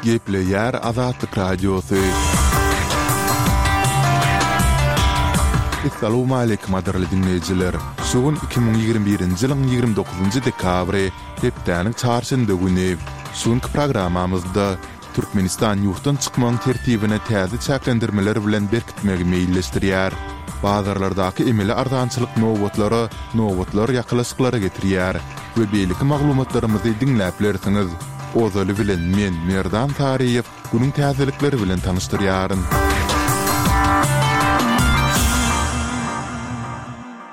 Gepleýär Azatlyk Radiosy. Essalawmaleýkim gadyrly diňleýjiler! Şu gün 2021-nji ýylyň 29-njy dekabry, hepdäniň çarşenbe güni. Şu günki programmamyzda Türkmenistan ýurtdan çykmagyň tertibine täze çäklendirmeler bilen berkitmegi meýilleşdirýär. Bazarlardaky emeli arzançylyk nobatlara nobatlar ýakalaşyklara getirýär we beýleki maglumatlarymyzy diňläp bilersiňiz. Ozaly bilen men, Merdan Saryýew, günüň täzelikleri bilen tanyşdyrýaryn.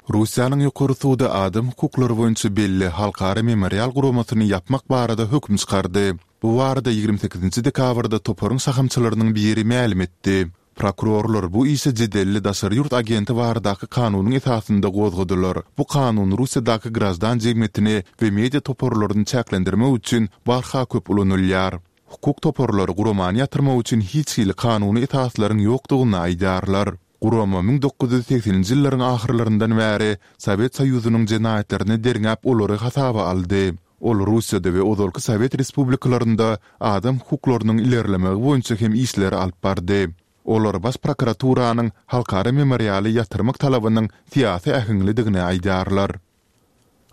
Russiýanyň Ýokary sudy adam hukuklary boýunça belli Halkara Memorial guramasyny ýapmak barada höküm çykardy. Bu barada 28 dekabrda toparyň şahamçalarynyň biri mälim etdi. Prokurorlar bu işi jedelli daşary ýurt agenti baradaky kanunyň esasynda gozgadylar. Bu kanun Russiýadaky graždan jemgyýetini we media toparlaryny çäklendirmek üçin barha köp ulanylýar. Hukuk toparlary guramany ýatyrmak üçin hiç hili kanuny esaslaryň ýokdugyny aýdýarlar. Gurama 1980-nji ýyllaryň ahyrlaryndan bäri Sowet Soýuzynyň jenaýatlaryny derňäp olary hasaba aldy. Ol Russiýada we ozalky sowet respublikalarynda adam hukuklarynyň ilerlemegi boýunça hem işleri alyp bardy. Olar Baş prokuraturanyň Halkara memorialy ýatyrmak talabynyň syýasy äheňlidigini aýdýarlar.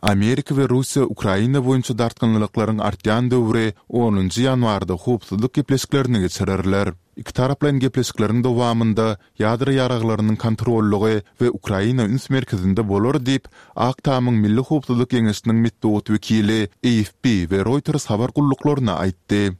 Amerika we Russiýa Ukraina boýunça dartgynlylyklaryň artýan döwri onunjy ýanwarda howpsuzlyk gepleşiklerini geçirerler. Ikitaraplaýyn gepleşikleriň dowamynda ýadro ýaraglarynyň kontrollygy we Ukraina üns merkezinde bolar diýip, Ak Tamyň Milli howpsuzlyk geňeşiniň metbugat wekili AFP we Reuters habar gulluklaryna aýtdy.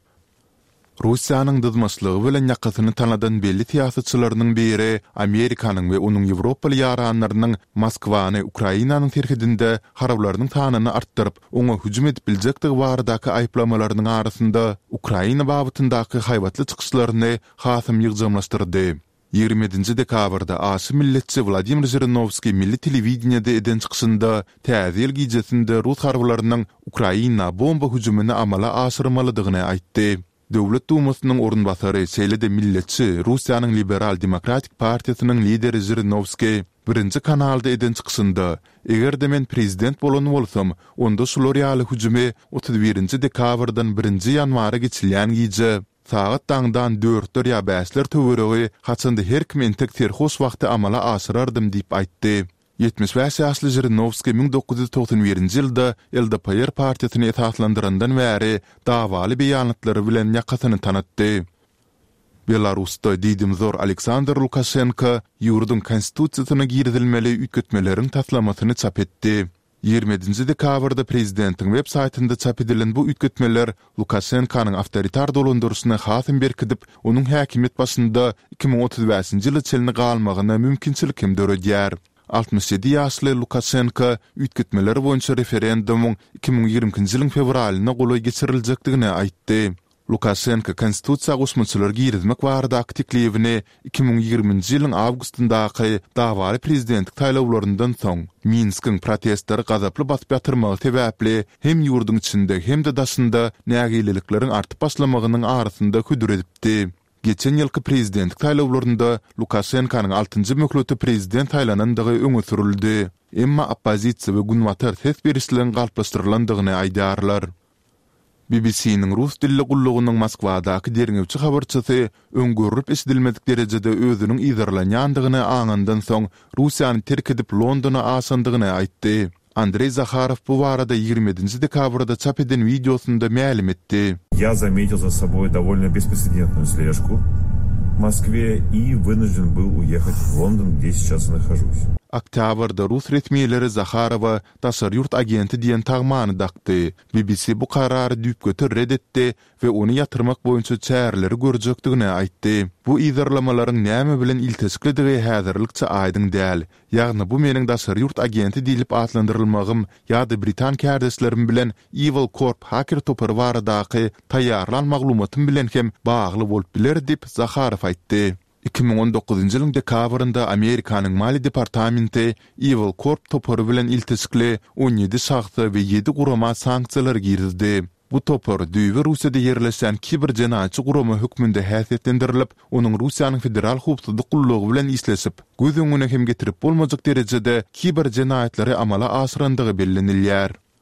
Russiýanyň dyzmaçlygy bilen ýakasyny tanadan belli syýasatçylarynyň biri Amerikanyň we onuň ýewropaly ýaranlarynyň Moskwany Ukrainanyň serhedinde harbylarynyň sanyny artdyryp, oňa hüjüm edip biljekdigi baradaky aýyplamalarynyň arasynda Ukraina babatyndaky haýbatly çykyşlaryny hasam ýygjamlaşdyrdy. 27 dekabrda aşa milletçi Wladimir Žirinowskiý milli telewideniýede eden çykyşynda Täze ýyl gijesinde rus harbylarynyň Ukraina bomba hüjümini amala aşyrmalydygyny aýtdy. Döwlet Dumasynyň orunbasary, şeýle-de milletçi Russiýanyň Liberal-demokratik partiýasynyň lideri Žirinowskiý Birinji kanalda eden çykyşynda, Eger-de men prezident bolan bolsam, onda şular ýaly hüjümi 31 dekabrdan birinji ýanwara geçilýän gije, Sagat daňdan dörtler ýa bäşler töweregi, haçanda her kim entek serhoş wagty amala aşyrardym diýip aýtdy. 75 ýaşly Žirinowskiý 1991-nji ýylda LDPR partiýasyny esaslandyrandan bäri dawaly beýanatlary bilen ýakasyny tanatdy. Belarusda diýdimzor Aleksandr Lukaşenko ýurduň Konstitusiýasyna girizilmeli üýtgetmeleriň taslamasyny çap etdi. 27 dekabrda prezidentiň web saýtynda çap edilen bu üýtgetmeler Lukaşenkonyň awtoritar dolandyryşyny hasam berkidip, onuň häkimiýet başynda 2035-nji ýyla çenli galmagyna mümkinçilik hem döredýär. 67 ýaşly Lukaşenko üýtgetmeler boýunça referendumyň 2022-nji ýylyň fewralyna golaý geçiriljekdigini aýtdy. Lukaşenko konstitusiýa goşmaçalar girizmek baradaky teklibini 2020-nji ýylyň awgustyndaky dawaly prezidentlik saýlawlaryndan soň, Minskiň protestleri gazaply basyp ýatyrmagy sebäpli hem ýurduň içinde hem-de daşynda nägilelikleriň artyp başlamagynyň arasynda hödür edipdi. Geçen ýylky prezidentlik saýlawlarynda Lukaşenkonyň altynjy möhlete prezident saýlanandygy öňe sürüldi. Emma oppozisiýa we Günbatar ses berişligiň galplaşdyrylandygyny aýdýarlar. BBC-niň rus dilli gullugynyň Moskwadaky derňewçi habarçysy öň görlüp-eşidilmedik derejede özüniň yzarlanýandygyny aňandan soň Russiýany terk edip Londona aşandygyny aýtdy. Andreý Zaharow bu barada 27 dekabrda çap eden wideosynda mälim etdi. Я заметил за собой довольно беспрецедентную слежку в Москве и вынужден был уехать в Лондон, где сейчас и нахожусь. Oktýabrda rus resmileri Zaharowa daşary ýurt agenti diýen tagmany dakdy. BBC bu karary düýpgöter ret etdi we ony ýatyrmak boýunça çäreleri görjekdigini aýtdy. Bu yzarlamalaryň näme bilen ilteşiklidigi häzirlikçe aýdyň däl. Ýagny bu meniň daşary ýurt agenti diýlip atlandyrylmagym ýa-da britan kärdeşlerim bilen Evil Corp haker topary baradaky taýýarlan maglumatym bilen hem bagly bolup biler diýip, Zaharow aýtdy. 2019-njy ýylyň dekabrynda Amerikanyň Maliýe departamenti Evil Corp topary bilen ilteşikli 17 şahsa we ýedi gurama sanksiýalar girizdi. Bu topar düýbi Russiýada ýerleşýän kiber jenaýatçy gurama hökmünde häsiýetlendirilip, onuň Russiýanyň Federal howpsuzlyk gullugy bilen işleşip, göz öňüne hem getirip bolmajak derejede kiber jenaýatlary amala aşyrandygy bellenilýär.